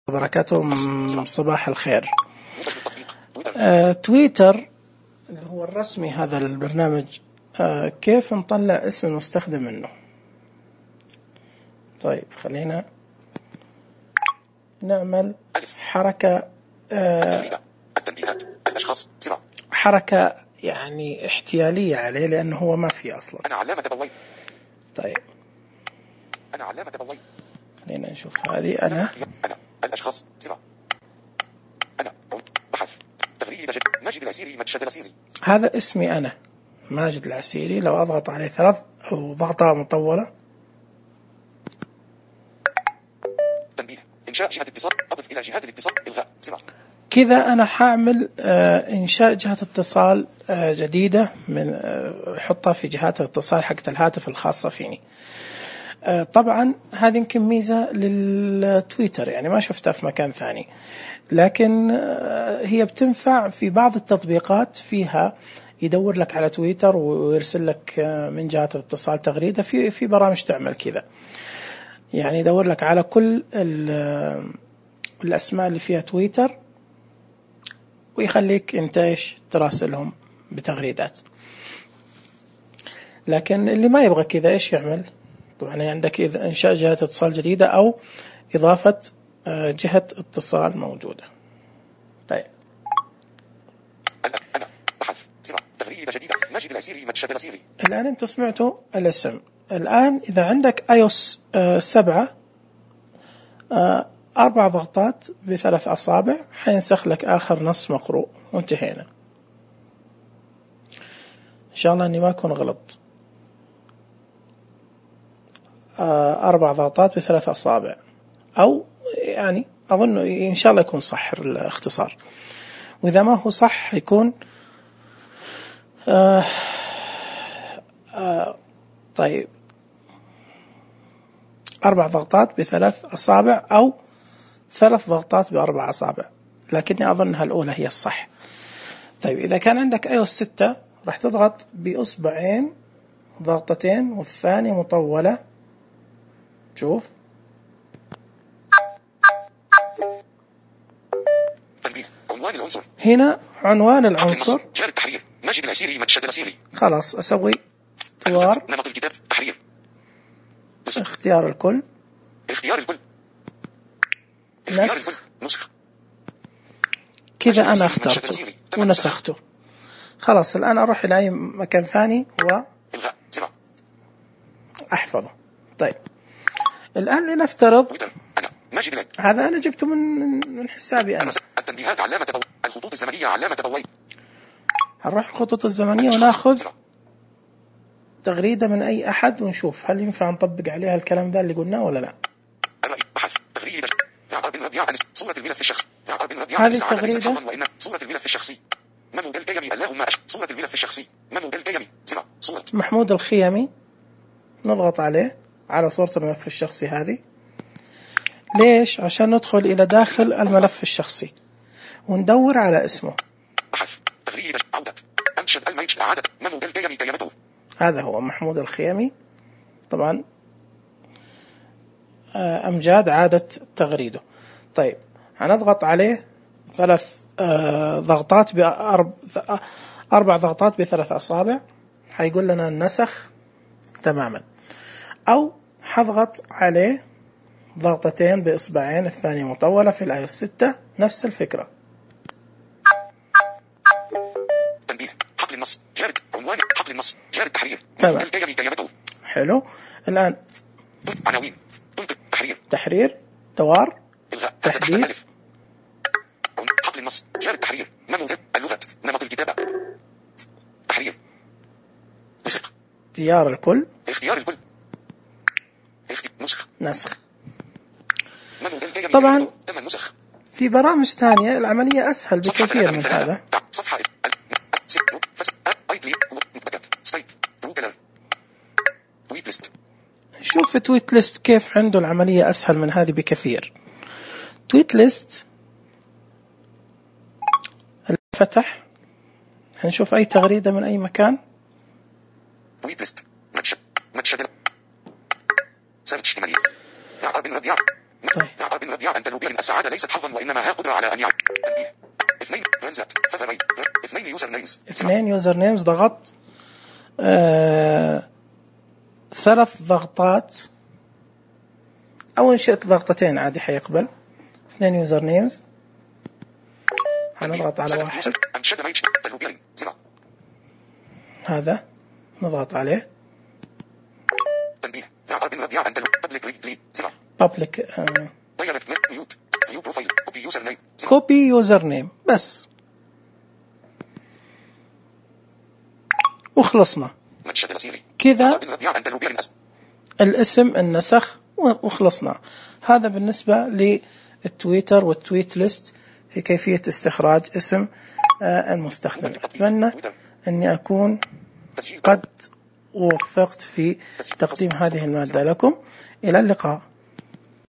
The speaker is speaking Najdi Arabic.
وبركاته. صباح الخير. تويتر اللي هو الرسمي هذا البرنامج، كيف نطلع اسم المستخدم منه؟ طيب خلينا نعمل حركة يعني احتيالية عليه لأنه هو ما فيه أصلا. أنا علامة بوي. طيب أنا علامة بوي. خلينا نشوف هذه. أنا الأشخاص سبعة. أنا بحث تغريد ماجد العسيري مجد العسيري. هذا اسمي أنا ماجد العسيري. لو أضغط عليه 3 أو ضغطة مطولة. تنبيه إنشاء جهة اتصال. أضف إلى جهات الاتصال إلغاء سبعة. كذا أنا حاعمل إنشاء جهة اتصال جديدة من حطها في جهات الاتصال حقت الهاتف الخاصة فيني. طبعا هذه يمكن ميزة للتويتر، يعني ما شفتها في مكان ثاني، لكن هي بتنفع في بعض التطبيقات فيها يدور لك على تويتر ويرسل لك من جهة الاتصال تغريدة. في برامج تعمل كذا، يعني يدور لك على كل الأسماء اللي فيها تويتر ويخليك انت ايش تراسلهم بتغريدات. لكن اللي ما يبغى كذا ايش يعمل؟ طبعا عندك إذا إنشاء جهة اتصال جديدة أو إضافة جهة اتصال موجودة. طيب أنا بحث سبعة تغريدة جديدة ماجد العسيري مجد العسيري. الآن أنت سمعتوا الاسم. الآن إذا عندك iOS 7 4 ضغطات ب3 أصابع حينسخ لك آخر نص مقروء وانتهينا. إن شاء الله أني ما أكون غلط. 4 ضغطات ب3 أصابع، أو يعني أظن إن شاء الله يكون صح الاختصار، وإذا ما هو صح يكون طيب 4 ضغطات ب3 أصابع أو 3 ضغطات ب4 أصابع، لكني أظنها الأولى هي الصح. طيب إذا كان عندك iOS 6 راح تضغط بإصبعين ضغطتين والثانية مطولة. شوف عنوان العنصر. هنا عنوان العنصر جار التحرير ماجد العسيري مجد العسيري. خلاص أسوي دوار نمط الكتاب تحرير. اختيار الكل. اختيار الكل. نسخ. كذا أنا اخترته ونسخته. خلاص الآن أروح إلى أي مكان ثاني وأحفظه. طيب الآن لنفترض هذا أنا جبته من حسابي أنا. التنبيهات علامة الخطوط الزمنية علامة بوي. هنروح الخطوط الزمنية وناخذ تغريدة من أي أحد ونشوف هل ينفع نطبق عليها الكلام ذا اللي قلناه ولا لا. بحث تغريدة صورة الملف الشخصي. هذه التغريدة صورة الملف الشخصي. محمود الخيمي اللهم صورة الملف الشخصي. محمود الخيمي صورة محمود الخيمي. نضغط عليه على صورة الملف الشخصي هذه. ليش؟ عشان ندخل إلى داخل الملف الشخصي وندور على اسمه. بحث تغريدة عودة أنشد الميج أعادة محمود الخيمي كيانته. هذا هو محمود الخيمي. طبعا أمجاد عادة تغريده. طيب هنضغط عليه 3 ضغطات ب4 ضغطات ب3 أصابع حيقول لنا النسخ تماما، أو حضغط عليه ضغطتين بإصبعين الثانية مطولة في iOS 6 نفس الفكرة. تنبيه حقل النص جارد عنوان حقل النص جارد التحرير. تمام حلو. الآن عناوين تحرير دوار تحديد حقل النص جارد التحرير اللغة نمط الكتابة تحرير اختيار الكل. اختيار الكل نسخ. طبعا في برامج ثانية العملية أسهل بكثير من هذا. شوف في تويت ليست كيف عنده العملية أسهل من هذه بكثير. تويت ليست فتح هنشوف أي تغريدة من أي مكان. تويت ليست متشدد سبت اجتماعي طيب. يدعي أن تنوبيا السعادة ليست حظا وإنما هي قدرة على أن يعد. تنبيه. 2 ترانزلت 2 يوزر نيمز. 2 يوزر نيمز. ضغط 3 ضغطات أو إن شئت ضغطتين عادي حيقبل. 2 يوزر نيمز. هنضغط على واحد. هذا نضغط عليه. تنبيه. public copy user name بس وخلصنا كذا. الاسم النسخ وخلصنا. هذا بالنسبة للتويتر والتويت ليست في كيفية استخراج اسم المستخدم. أتمنى أني أكون قد وفقت في تقديم هذه المادة لكم. إلى اللقاء.